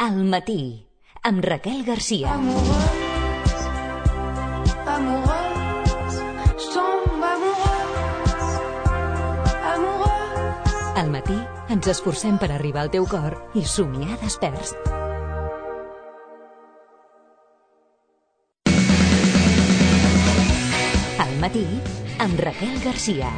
Al matí, amb Raquel Garcia. Al matí ens esforcem per arribar al teu cor i somiar desperts. Al matí, amb Raquel Garcia.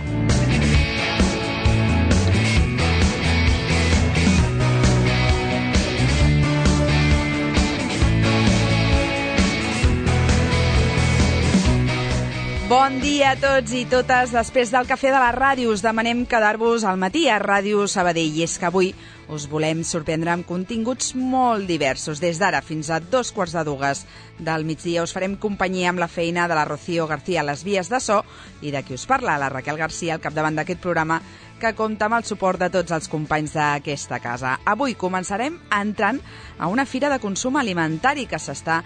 Bon dia a tots i totes. Després del cafè de la ràdio us demanem quedar-vos al matí a Ràdio Sabadell. I és que avui us volem sorprendre amb continguts molt diversos. Des d'ara fins a 2:15 del migdia us farem companyia amb la feina de la Rocío García a les vies de so i de qui us parla, la Raquel García, al capdavant d'aquest programa, que compta amb el suport de tots els companys d'aquesta casa. Avui començarem entrant a una fira de consum alimentari que s'està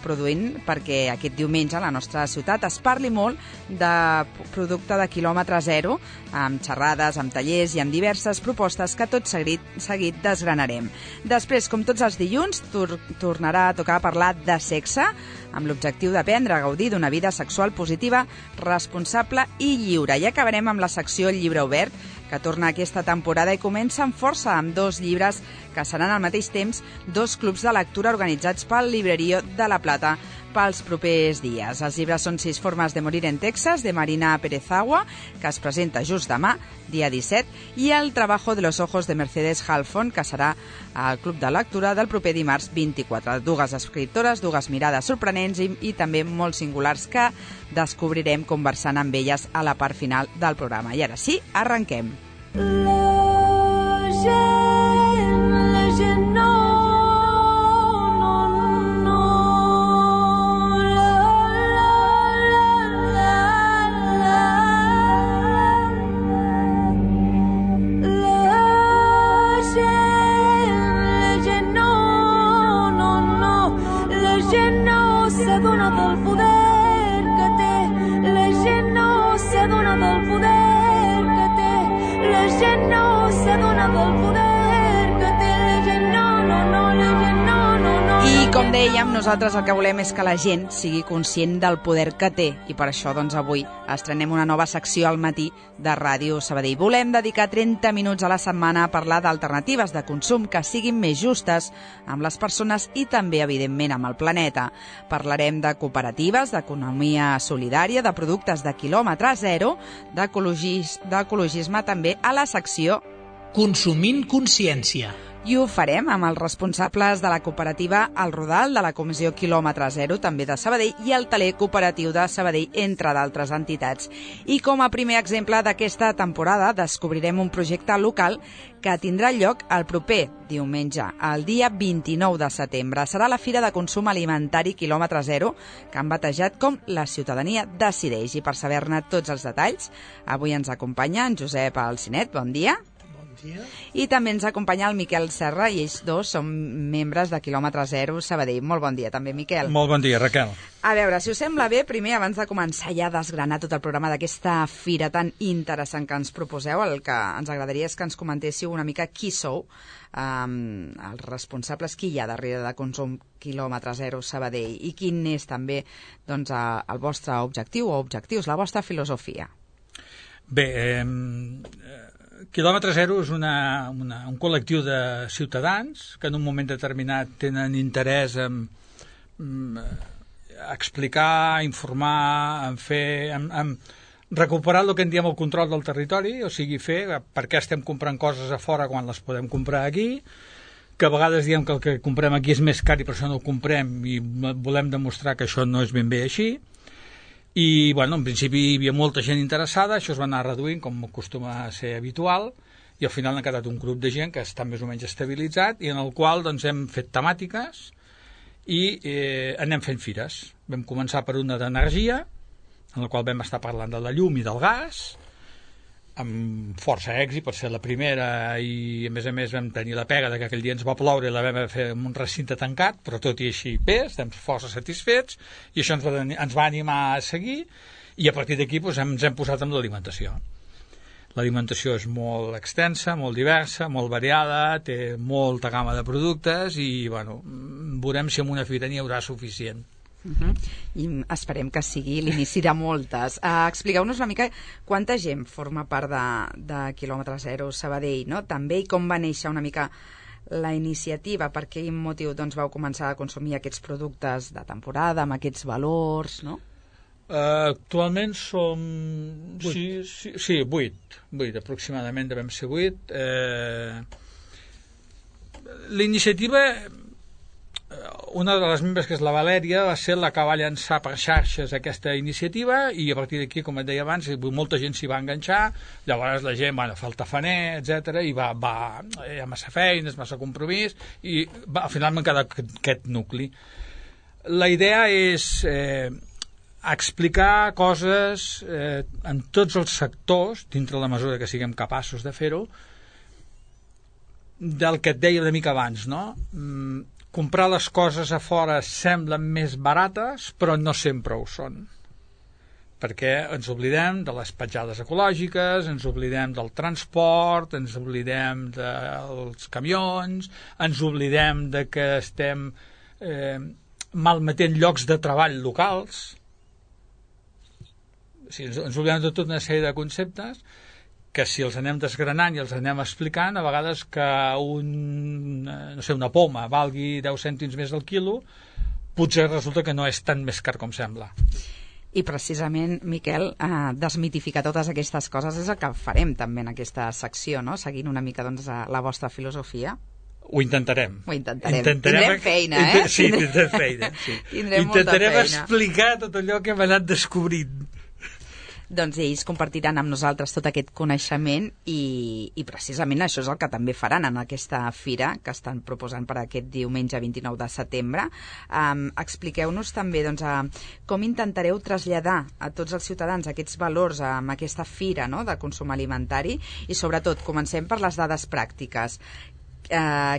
produint perquè aquest diumenge a la nostra ciutat es parli molt de producte de quilòmetre zero, amb xerrades, amb tallers i amb diverses propostes que tot seguit desgranarem. Després, com tots els dilluns, tornarà a tocar parlar de sexe, amb l'objectiu d'aprendre a gaudir d'una vida sexual positiva, responsable i lliure. I acabarem amb la secció Llibre Obert, que torna aquesta temporada i comença amb força amb 2 llibres que seran al mateix temps 2 clubs de lectura organitzats pel Librerío de la Plata pels propers dies. Els llibres són 6 formes de morir en Texas, de Marina Pérez-Agua, que es presenta just demà, dia 17, i El trabajo de los ojos de Mercedes Halfon, que serà al club de lectura del proper dimarts 24. 2 escriptores, 2 mirades sorprenents i també molt singulars que descobrirem conversant amb elles a la part final del programa. I ara sí, arrenquem. Com dèiem, nosaltres el que volem és que la gent sigui conscient del poder que té i per això doncs avui estrenem una nova secció al matí de Ràdio Sabadell. Volem dedicar 30 minuts a la setmana a parlar d'alternatives de consum que siguin més justes amb les persones i també, evidentment, amb el planeta. Parlarem de cooperatives, d'economia solidària, de productes de quilòmetre zero, d'ecologisme també a la secció Consumint Consciència. I ho farem amb els responsables de la cooperativa El Rodal, de la Comissió Quilòmetre Zero, també de Sabadell, i el Taler Cooperatiu de Sabadell, entre d'altres entitats. I com a primer exemple d'aquesta temporada descobrirem un projecte local que tindrà lloc el proper diumenge, el dia 29 de setembre. Serà la Fira de Consum Alimentari Quilòmetre Zero, que han batejat com La Ciutadania Decideix. I per saber-ne tots els detalls, avui ens acompanya en Josep Alcinet. Bon dia. I també ens acompanya el Miquel Serra i ells dos són membres de Quilòmetre Zero Sabadell. Molt bon dia també, Miquel. Molt bon dia, Raquel. A veure, si us sembla bé, primer, abans de començar ja a desgranar tot el programa d'aquesta fira tan interessant que ens proposeu, el que ens agradaria és que ens comentéssiu una mica qui sou, els responsables, qui hi ha darrere de Consum Quilòmetre Zero Sabadell i quin és també doncs, el vostre objectiu o objectius, la vostra filosofia. Bé, Quilòmetre Zero és un col·lectiu de ciutadans que en un moment determinat tenen interès en explicar, informar, en recuperar el que en diem el control del territori, o sigui, fer per què estem comprant coses a fora quan les podem comprar aquí, que a vegades diem que el que comprem aquí és més car i per això no ho comprem i volem demostrar que això no és ben bé així. I, bueno, en principi hi havia molta gent interessada, això es va anar reduint, com acostuma a ser habitual, i al final ha quedat un grup de gent que està més o menys estabilitzat i en el qual doncs, hem fet temàtiques i anem fent fires. Vam començar per una d'energia, en la qual vam estar parlant de la llum i del gas, amb força èxit per ser la primera i a més vam tenir la pega que aquell dia ens va ploure i la vam fer en un recinte tancat, però tot i així bé, estem força satisfets i això ens va animar a seguir i a partir d'aquí ens hem posat amb l'alimentació. L'alimentació és molt extensa, molt diversa, molt variada, té molta gamma de productes i, bueno, veurem si en una fira n'hi haurà suficient. I esperem que sigui l'inici de moltes. Expliqueu-nos una mica quanta gent forma part de Quilòmetre Zero Sabadell, no? També, i com va néixer una mica la iniciativa, per quin motiu vau començar a consumir aquests productes de temporada, amb aquests valors, no? Actualment som... 8 aproximadament, devem ser 8. L'iniciativa, una de les membres, que és la Valèria, va ser la que va llançar per xarxes aquesta iniciativa, i a partir d'aquí, com et deia abans, molta gent s'hi va enganxar. Llavors la gent, fa el tafaner, etc, i hi ha massa feines, massa compromís, i al final m'ha quedat aquest nucli. La idea és explicar coses en tots els sectors, dintre la mesura que siguem capaços de fer-ho, del que et deia una mica abans, no? Comprar les coses a fora semblen més barates, però no sempre ho són. Perquè ens oblidem de les petjades ecològiques, ens oblidem del transport, ens oblidem dels camions, ens oblidem de que estem malmetent llocs de treball locals. O sigui, ens oblidem de tota una sèrie de conceptes que, si els anem desgranant i els anem explicant, a vegades que una poma valgui 10 cèntims més al quilo, potser resulta que no és tan més car com sembla. I precisament, Miquel, desmitificar totes aquestes coses és el que farem també en aquesta secció, no? Seguint una mica la vostra filosofia. Ho intentarem. Tindrem feina, Sí, tindrem feina. Sí. Intentarem explicar tot allò que hem anat descobrint. Doncs ells compartiran amb nosaltres tot aquest coneixement i precisament això és el que també faran en aquesta fira que estan proposant per aquest diumenge 29 de setembre. Expliqueu-nos també com intentareu traslladar a tots els ciutadans aquests valors amb aquesta fira, no?, de consum alimentari, i sobretot comencem per les dades pràctiques.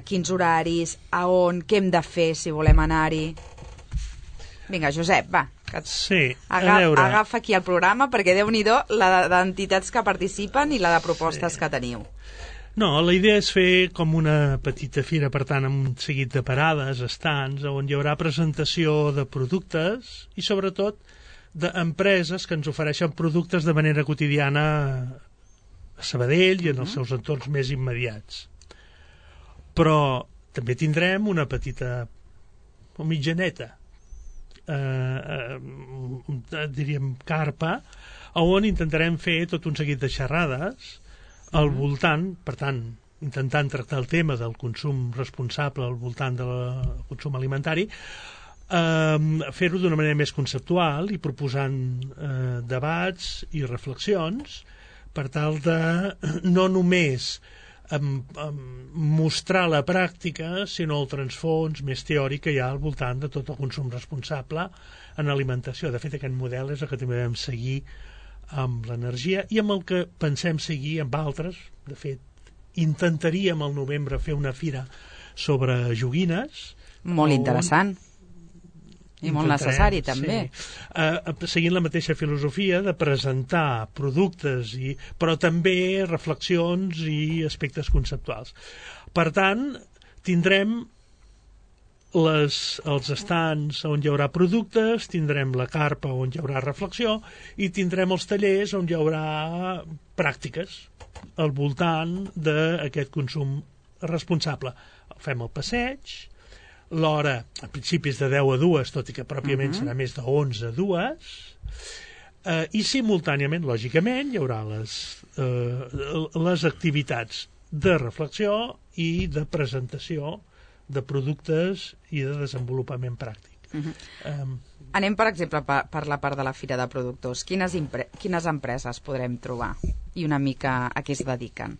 Quins horaris, a on, què hem de fer si volem anar-hi? Vinga, Josep, va. Sí, a veure. Agafa aquí el programa, perquè Déu-n'hi-do la d'entitats que participen i la de propostes que teniu. No, la idea és fer com una petita fira, per tant, amb un seguit de parades, estants, on hi haurà presentació de productes i, sobretot, d'empreses que ens ofereixen productes de manera quotidiana a Sabadell i en els seus entorns més immediats. Però també tindrem una petita o mitjaneta, diríem carpa, on intentarem fer tot un seguit de xerrades al voltant, per tant, intentant tractar el tema del consum responsable al voltant del consum alimentari, fer-ho d'una manera més conceptual i proposant debats i reflexions per tal de no només mostrar la pràctica, sinó el transfons més teòric que hi ha al voltant de tot el consum responsable en alimentació. De fet, aquest model és el que també vam seguir amb l'energia i amb el que pensem seguir amb altres. De fet, intentaríem al novembre fer una fira sobre joguines. Molt interessant. I molt necessari, també. Sí. Seguint la mateixa filosofia de presentar productes, però també reflexions i aspectes conceptuals. Per tant, tindrem els estants on hi haurà productes, tindrem la carpa on hi haurà reflexió i tindrem els tallers on hi haurà pràctiques al voltant d'aquest consum responsable. Fem el passeig, l'hora a principis de 10 a 2, tot i que pròpiament serà més de 11 a 2, i simultàniament, lògicament, hi haurà les activitats de reflexió i de presentació de productes i de desenvolupament pràctic. Anem, per exemple, per la part de la Fira de Productors. Quines empreses podrem trobar i una mica a què es dediquen?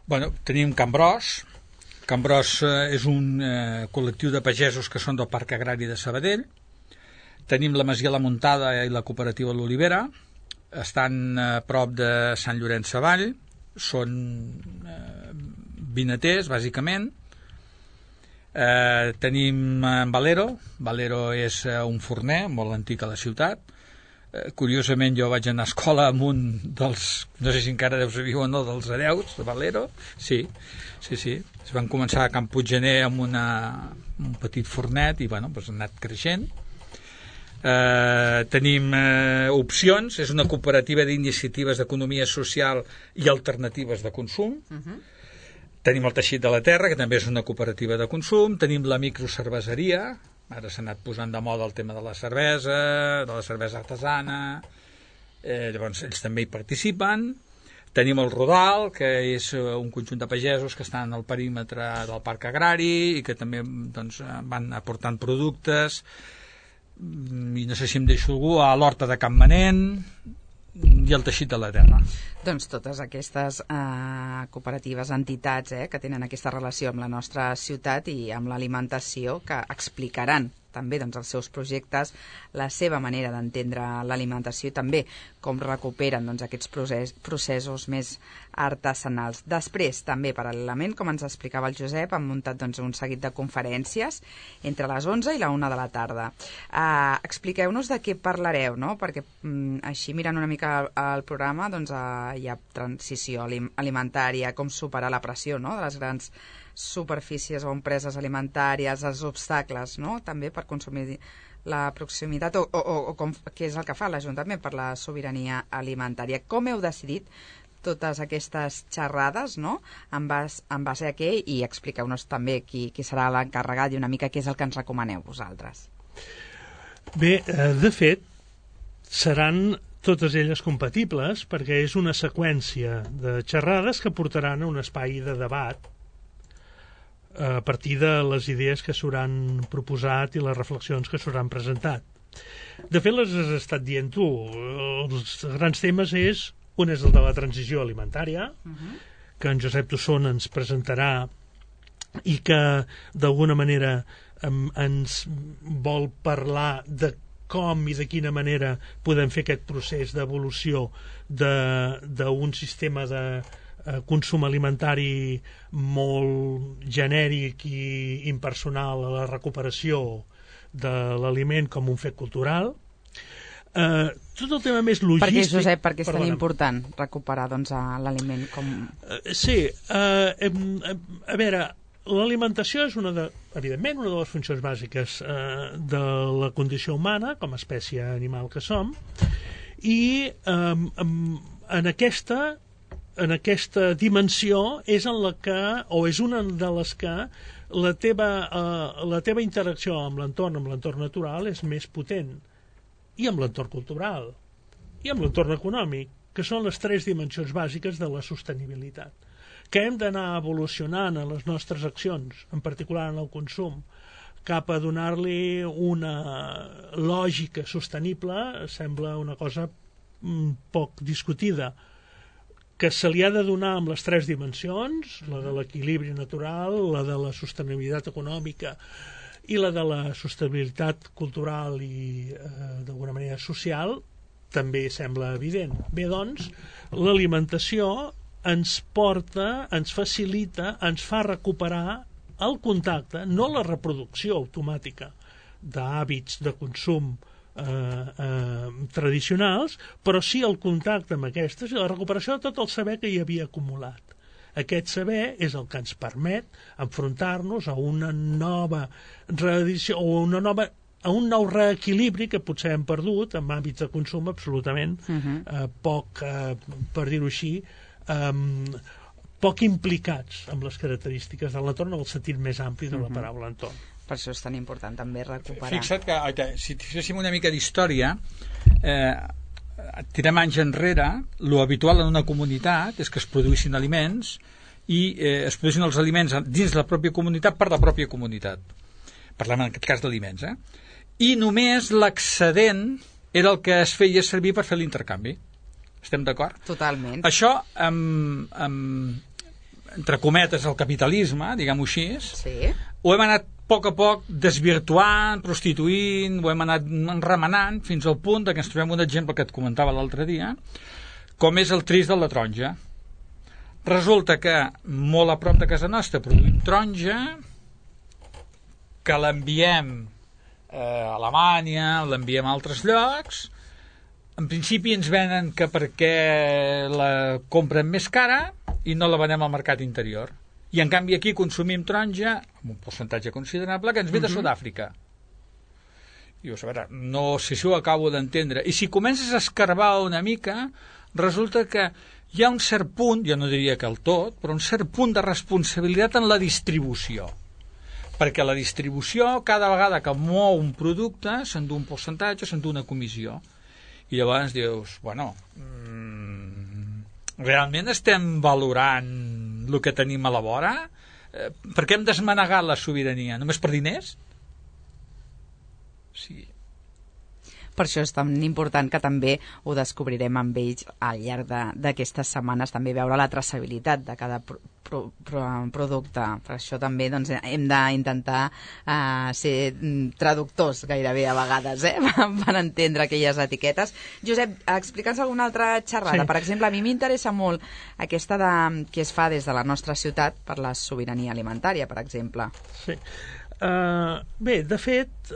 Bueno, tenim Can Bros. Can Bros és un col·lectiu de pagesos que són del Parc Agrari de Sabadell. Tenim la Masia La Muntada i la Cooperativa L'Olivera. Estan a prop de Sant Llorenç Savall. Són vinaters, bàsicament. Tenim Valero. Valero és un forner molt antic a la ciutat. Curiosament jo vaig anar a escola amb un dels, no sé si encara deu saber o no, dels hereus de Valero. Sí. Es van començar a Can Puiggener amb un petit fornet i bueno, doncs ha anat creixent. Tenim opcions, és una cooperativa d'iniciatives d'economia social i alternatives de consum. Tenim el Teixit de la Terra, que també és una cooperativa de consum. Tenim la microcerveseria, ara s'ha anat posant de moda el tema de la cervesa artesana, llavors ells també hi participen. Tenim el Rodal, que és un conjunt de pagesos que estan al perímetre del parc agrari i que també doncs, van aportant productes, i no sé si em deixo algú, a l'Horta de Can Manent i el Teixit de la Terra. Doncs totes aquestes cooperatives, entitats que tenen aquesta relació amb la nostra ciutat i amb l'alimentació, que explicaran també doncs, els seus projectes, la seva manera d'entendre l'alimentació i també com recuperen doncs, aquests processos més artesanals. Després, també, paral·lelament, com ens explicava el Josep, han muntat doncs, un seguit de conferències entre les 11 i la 1 de la tarda. Expliqueu-nos de què parlareu, no? Perquè així, mirant una mica el programa, doncs, hi ha transició alimentària, com superar la pressió, no?, de les grans superfícies o empreses alimentàries, els obstacles, no?, també per consumir la proximitat, o què és el que fa l'Ajuntament per la sobirania alimentària. Com heu decidit totes aquestes xerrades, no?, en base a què, i expliqueu-nos també qui serà l'encarregat i una mica què és el que ens recomaneu vosaltres. Bé, de fet, seran totes elles compatibles perquè és una seqüència de xerrades que portaran a un espai de debat a partir de les idees que s'hauran proposat i les reflexions que s'hauran presentat. De fet, les has estat dient tu. Els grans temes un és el de la transició alimentària, que en Josep Tosson ens presentarà i que d'alguna manera ens vol parlar de com i de quina manera podem fer aquest procés d'evolució d'un sistema de consum alimentari molt genèric i impersonal a la recuperació de l'aliment com un fet cultural. Tot el tema més logístic... Perquè, Josep, perquè és tan important recuperar doncs, l'aliment com... Sí, a veure, l'alimentació és evidentment una de les funcions bàsiques de la condició humana com a espècie animal que som, i en aquesta dimensió és en la que, o és una de les que la teva interacció amb l'entorn natural és més potent, i amb l'entorn cultural i amb l'entorn econòmic, que són les 3 dimensions bàsiques de la sostenibilitat, que hem d'anar evolucionant en les nostres accions, en particular en el consum, cap a donar-li una lògica sostenible. Sembla una cosa poc discutida, que se li ha de donar amb les 3 dimensions, la de l'equilibri natural, la de la sostenibilitat econòmica i la de la sostenibilitat cultural i d'alguna manera social, també sembla evident. Bé, doncs, l'alimentació ens porta, ens facilita, ens fa recuperar el contacte, no la reproducció automàtica d'hàbits de consum tradicionals, però sí el contacte amb aquestes i la recuperació de tot el saber que hi havia acumulat. Aquest saber és el que ens permet enfrontar-nos a una nova reedició o a un nou reequilibri que potser hem perdut en hàbits de consum absolutament poc, per dir-ho així, poc implicats amb les característiques de l'entorn en el sentit més ampli de la paraula entorn. Per això és tan important també recuperar. Fixa't que si féssim una mica d'història, tirem anys enrere, lo habitual en una comunitat és que es produïssin aliments i es produïssin els aliments dins la pròpia comunitat per la pròpia comunitat. Parlem en aquest cas d'aliments, i només l'excedent era el que es feia servir per fer l'intercanvi. Estem d'acord? Totalment. Això, entre cometes, el capitalisme, diguem-ho així, sí. Ho hem anat a poc desvirtuant, prostituint, ho hem anat remenant fins al punt que ens trobem un exemple que et comentava l'altre dia, com és el tris de la taronja. Resulta que molt a prop de casa nostra produïm taronja, que l'enviem a Alemanya, l'enviem a altres llocs, en principi ens venen que perquè la compren més cara i no la venem al mercat interior. I en canvi aquí consumim taronja amb un percentatge considerable que ens ve de Sud-àfrica. Dius, a veure, no sé si ho acabo d'entendre. I si comences a escarbar una mica, resulta que hi ha un cert punt, jo no diria que el tot, però un cert punt de responsabilitat en la distribució. Perquè la distribució, cada vegada que mou un producte, s'endú un percentatge, s'endú una comissió. I llavors dius, bueno, realment estem valorant el que tenim a la vora? Per què hem desmanegat la sobirania? Només per diners? Sí. Per això és tan important que també ho descobrirem amb ells al llarg d'aquestes setmanes, també veure la traçabilitat de cada producte. Per això també doncs, hem d'intentar ser traductors gairebé a vegades, per entendre aquelles etiquetes. Josep, explica'ns alguna altra xerrada. Sí. Per exemple, a mi m'interessa molt aquesta que es fa des de la nostra ciutat per la sobirania alimentària, per exemple. Sí. Bé, de fet,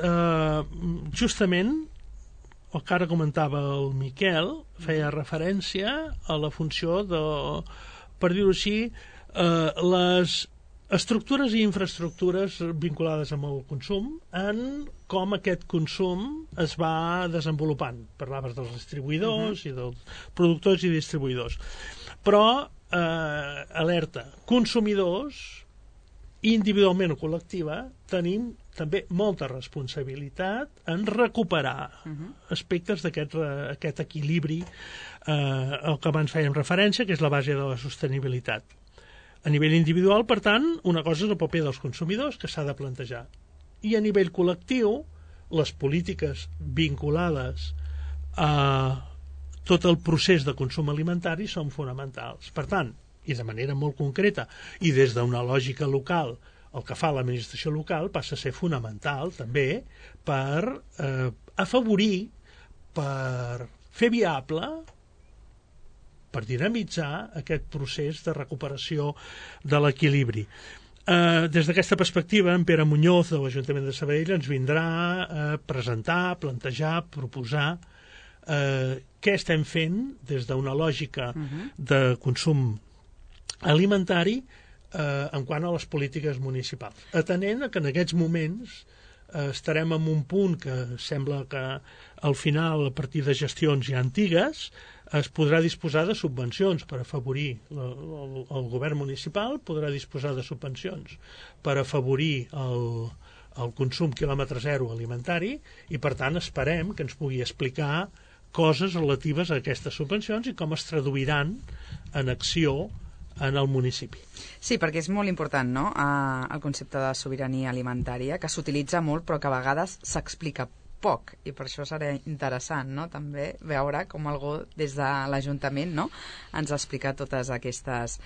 justament el que ara comentava el Miquel feia referència a la funció de, per dir-ho així, les estructures i infraestructures vinculades amb el consum en com aquest consum es va desenvolupant. Parlaves dels distribuïdors i dels productors i distribuïdors. Però, alerta, consumidors, individualment o col·lectiva, tenim també molta responsabilitat en recuperar aspectes d'aquest equilibri al que abans fèiem referència, que és la base de la sostenibilitat. A nivell individual, per tant, una cosa és el paper dels consumidors, que s'ha de plantejar. I a nivell col·lectiu, les polítiques vinculades a tot el procés de consum alimentari són fonamentals. Per tant, i de manera molt concreta, i des d'una lògica local, el que fa l'administració local passa a ser fonamental també per afavorir, per fer viable, per dinamitzar aquest procés de recuperació de l'equilibri. Des d'aquesta perspectiva, en Pere Muñoz de l'Ajuntament de Sabadell ens vindrà a presentar, plantejar, proposar què estem fent des d'una lògica de consum alimentari en quant a les polítiques municipals. Atenent que en aquests moments estarem en un punt que sembla que al final, a partir de gestions ja antigues, es podrà disposar de subvencions per afavorir el govern municipal, podrà disposar de subvencions per afavorir el consum quilòmetre zero alimentari i, per tant, esperem que ens pugui explicar coses relatives a aquestes subvencions i com es traduiran en acció en el municipi. Sí, perquè és molt important, no?, el concepte de sobirania alimentària, que s'utilitza molt però que a vegades s'explica poc, i per això serà interessant, no?, també veure com algú des de l'Ajuntament, no?, ens explica totes aquestes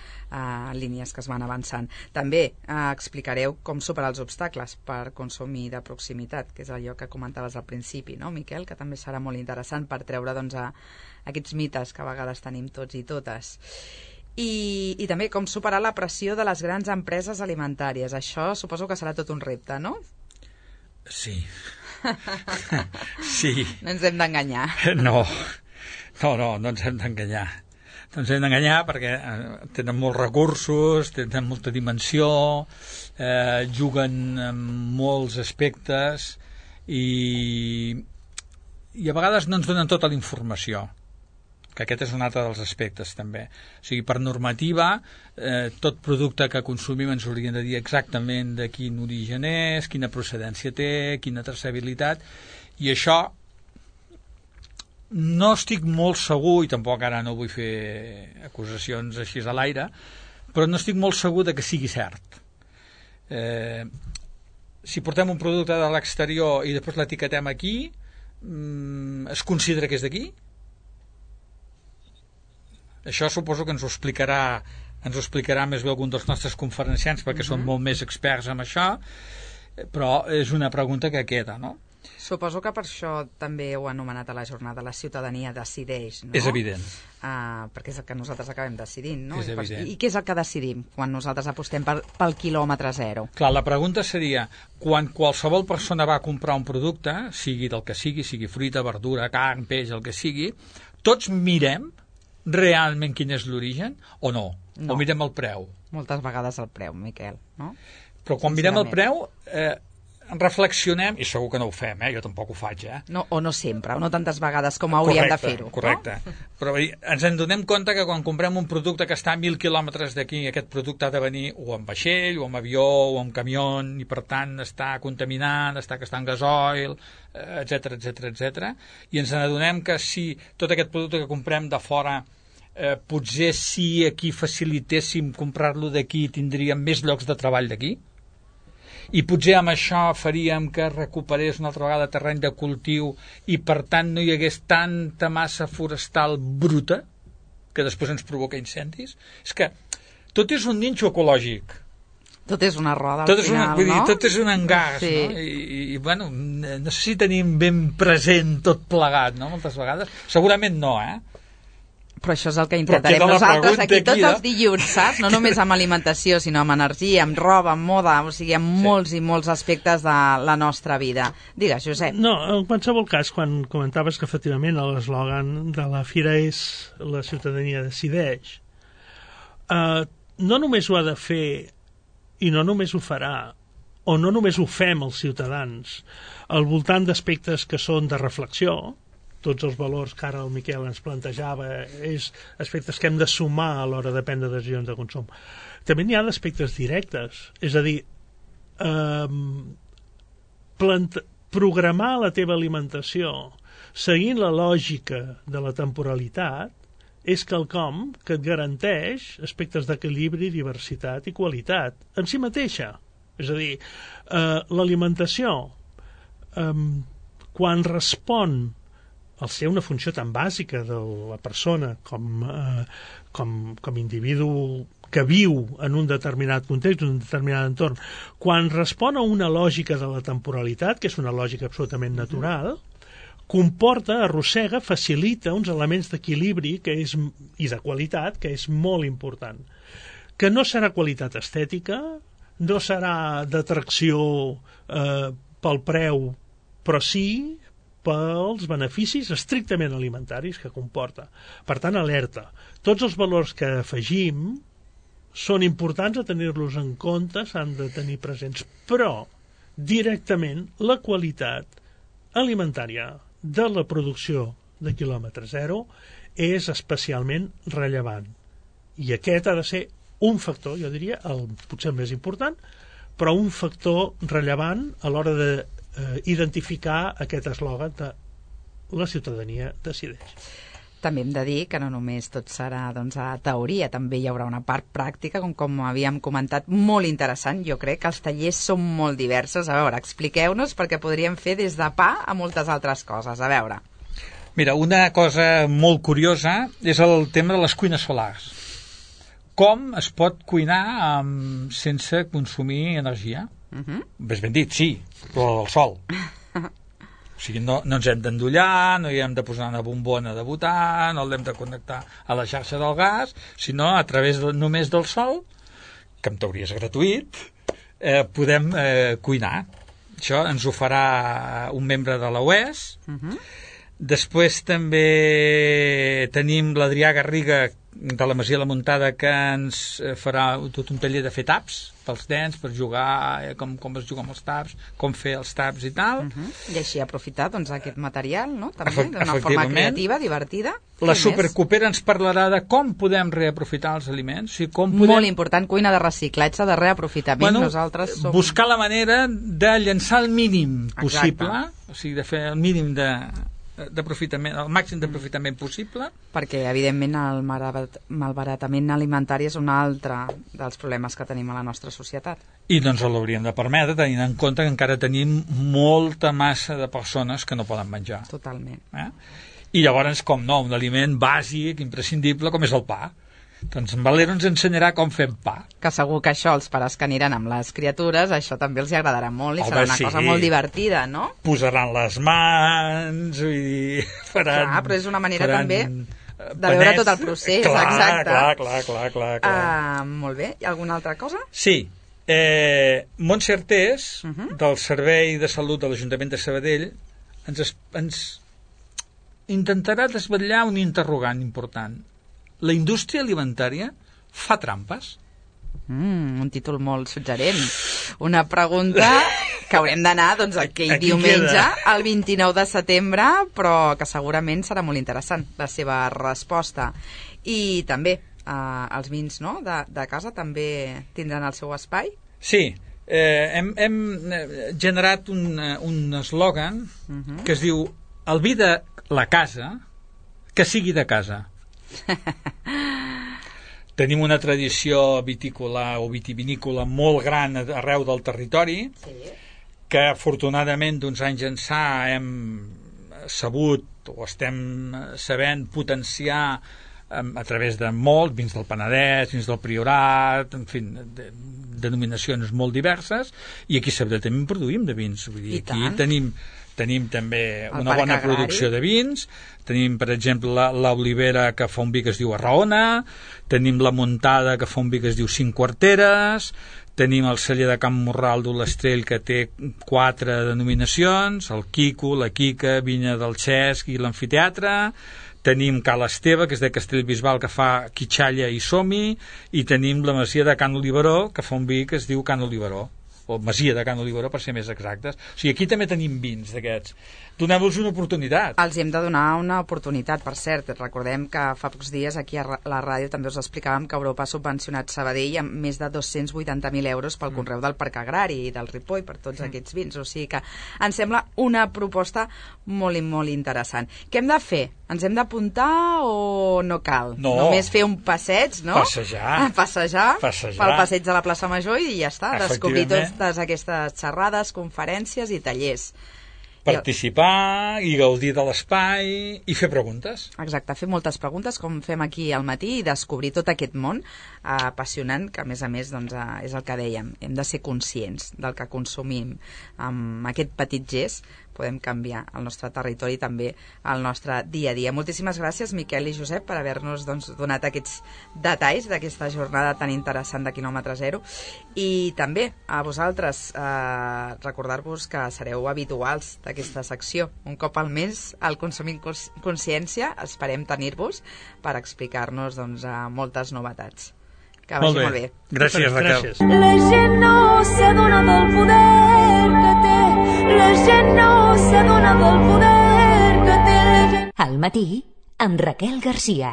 línies que es van avançant. També explicareu com superar els obstacles per consumir de proximitat, que és allò que comentaves al principi, no, Miquel, que també serà molt interessant per treure, doncs, aquests mites que a vegades tenim tots i totes. I també com superar la pressió de les grans empreses alimentàries. Això suposo que serà tot un repte, no? Sí. Sí. No ens hem d'enganyar. No ens hem d'enganyar. No ens hem d'enganyar perquè tenen molts recursos, tenen molta dimensió, juguen en molts aspectes i a vegades no ens donen tota la informació, que aquest és un altre dels aspectes també. O sigui, per normativa, tot producte que consumim ens hauria de dir exactament de quin origen és, quina procedència té, quina traçabilitat, i això no estic molt segur, i tampoc ara no vull fer acusacions així a l'aire, però no estic molt segur de que sigui cert. Si portem un producte de l'exterior i després l'etiquetem aquí, es considera que és d'aquí? Això suposo que ens ho explicarà més bé algun dels nostres conferenciants perquè són molt més experts en això, però és una pregunta que queda, no? Suposo que per això també heu anomenat a la jornada la ciutadania decideix, no? És evident. Perquè és el que nosaltres acabem decidint, no? És evident. I què és el que decidim quan nosaltres apostem pel quilòmetre zero? Clar, la pregunta seria, quan qualsevol persona va a comprar un producte, sigui del que sigui fruita, verdura, carn, peix, el que sigui, tots mirem realment quin és l'origen o no? No. O mirem el preu? Moltes vegades el preu, Miquel, no? Però quan mirem el preu, reflexionem, i segur que no ho fem, jo tampoc ho faig, No, o no sempre, o no tantes vegades com hauríem de fer-ho. Correcte. No? Però ens en donem compte que quan comprem un producte que està a 1.000 quilòmetres d'aquí, aquest producte ha de venir o en vaixell, o en avió, o en camió, i per tant està contaminant, està gastant gasoil, etc. I ens adonem que si tot aquest producte que comprem de fora potser si aquí facilitéssim comprar-lo d'aquí tindríem més llocs de treball d'aquí, i potser amb això faríem que recuperés una altra vegada terreny de cultiu i per tant no hi hagués tanta massa forestal bruta que després ens provoca incendis. És que tot és un ninxo ecològic. Tot és una roda al final, no? Tot és un engas, sí. No? I bueno, no sé si tenim ben present tot plegat, no? Moltes vegades. Segurament no, Però això és el que intentarem nosaltres aquí tots els dilluns, saps? No només amb alimentació, sinó amb energia, amb roba, amb moda, o sigui, amb molts i molts aspectes de la nostra vida. Digues, Josep. No, en qualsevol cas, quan comentaves que efectivament l'eslògan de la fira és la ciutadania decideix, no només ho ha de fer i no només ho farà, o no només ho fem els ciutadans, al voltant d'aspectes que són de reflexió, tots els valors que ara el Miquel ens plantejava, és aspectes que hem de sumar a l'hora de prendre decisions de consum. També n'hi ha d'aspectes directes, és a dir, programar la teva alimentació seguint la lògica de la temporalitat és quelcom que et garanteix aspectes d'equilibri, diversitat i qualitat en si mateixa. És a dir, l'alimentació, quan respon al ser una funció tan bàsica de la persona com individu que viu en un determinat context, en un determinat entorn, quan respon a una lògica de la temporalitat, que és una lògica absolutament natural, comporta, arrossega, facilita uns elements d'equilibri i de qualitat que és molt important. Que no serà qualitat estètica, no serà d'atracció pel preu, però sí pels beneficis estrictament alimentaris que comporta. Per tant, alerta. Tots els valors que afegim són importants a tenir-los en compte, s'han de tenir presents, però directament la qualitat alimentària de la producció de quilòmetre zero és especialment rellevant. I aquest ha de ser un factor, jo diria, potser el més important, però un factor rellevant a l'hora de identificar aquest eslògan de la ciutadania decideix. També hem de dir que no només tot serà a teoria, també hi haurà una part pràctica, com havíem comentat, molt interessant. Jo crec que els tallers són molt diversos. A veure, expliqueu-nos, perquè podríem fer des de pa a moltes altres coses. A veure. Mira, una cosa molt curiosa és el tema de les cuines solars. Com es pot cuinar sense consumir energia? Ves ben dit, sí, però del sol. O sigui, no ens hem d'endollar, no hi hem de posar una bombona de butà, no l'hem de connectar a la xarxa del gas, sinó a través només del sol, que en teoria és gratuït, podem cuinar. Això ens ho farà un membre de la UES. Després també tenim l'Adrià Garriga de la Masia La Muntada, que ens farà tot un taller de fer taps pels nens, per jugar, com es juga amb els taps, com fer els taps i tal. I així aprofitar aquest material, no? També d'una forma creativa, divertida. La Supercopera ens parlarà de com podem reaprofitar els aliments. O sigui, molt important, cuina de reciclatge, de reaprofitament. Nosaltres som... Buscar la manera de llançar el mínim possible, o sigui, de fer el mínim d'aprofitament, el màxim d'aprofitament possible, perquè evidentment el malbaratament alimentari és un altre dels problemes que tenim a la nostra societat, i no ens l'hauríem de permetre, tenint en compte que encara tenim molta massa de persones que no poden menjar. Totalment. I llavors, com no, un aliment bàsic, imprescindible, com és el pa. Doncs en Valero ens ensenyarà com fem pa. Que segur que això, els pares que aniran amb les criatures, això també els agradarà molt i Home, serà una sí. cosa molt divertida, no? Posaran les mans, vull dir, faran... Clar, però és una manera faran també de veure tot el procés, exacte. Clar. Molt bé, i alguna altra cosa? Sí, Montse Artés, del Servei de Salut de l'Ajuntament de Sabadell, ens intentarà desvetllar un interrogant important. La indústria alimentària fa trampes? Un títol molt suggerent. Una pregunta que haurem d'anar doncs, aquell diumenge, el 29 de setembre, però que segurament serà molt interessant la seva resposta. I també els vins, no?, de casa també tindran el seu espai? Sí, hem generat un eslògan que es diu el vi de la casa, que sigui de casa. Tenim una tradició vitícola o vitivinícola molt gran arreu del territori, que afortunadament d'uns anys ençà hem sabut o estem sabent potenciar a través de molt, vins del Penedès, vins del Priorat, en fi, denominacions molt diverses, i aquí a Sabadell també produïm de vins. Vull dir, aquí tenim també una bona producció de vins, tenim per exemple l'Olivera, que fa un vi que es diu Arraona, tenim la Muntada, que fa un vi que es diu Cinc Quarteres, tenim el celler de Can Morral d'Ulestrell, que té 4 denominacions, el Quico, la Quica, Vinya del Xesc i l'Amfiteatre, tenim Cal Esteve, que és de Castellbisbal, que fa Quitxalla i Somi, i tenim la Masia de Can Oliveró, que fa un vi que es diu Can Oliveró, o Masia de Can Oliveró, per ser més exactes. O sigui, aquí també tenim vins d'aquests. Donem-los una oportunitat. Els hem de donar una oportunitat, per cert. Recordem que fa pocs dies aquí a la ràdio també us explicàvem que Europa ha subvencionat Sabadell amb més de 280.000 euros pel conreu del Parc Agrari i del Ripoll per tots aquests vins. O sigui que ens sembla una proposta molt i molt interessant. Què hem de fer? Ens hem d'apuntar o no cal? No. Només fer un passeig, no? Passejar pel passeig de la plaça Major i ja està. Descobrir totes aquestes xerrades, conferències i tallers. Participar i gaudir de l'espai i fer preguntes. Exacte, fer moltes preguntes com fem aquí al matí i descobrir tot aquest món apassionant que a més doncs, és el que dèiem, hem de ser conscients del que consumim. Amb aquest petit gest podem canviar el nostre territori i també el nostre dia a dia. Moltíssimes gràcies, Miquel i Josep, per haver-nos donat aquests detalls d'aquesta jornada tan interessant de quilòmetre zero. I també a vosaltres recordar-vos que sereu habituals d'aquesta secció. Un cop al mes, al Consumint Consciència, esperem tenir-vos per explicar-nos moltes novetats. Que vagi molt bé. Gràcies, Raquel. La gent no s'adona del poder que té. La gent no s'adona del poder que té. Al matí, amb Raquel Garcia.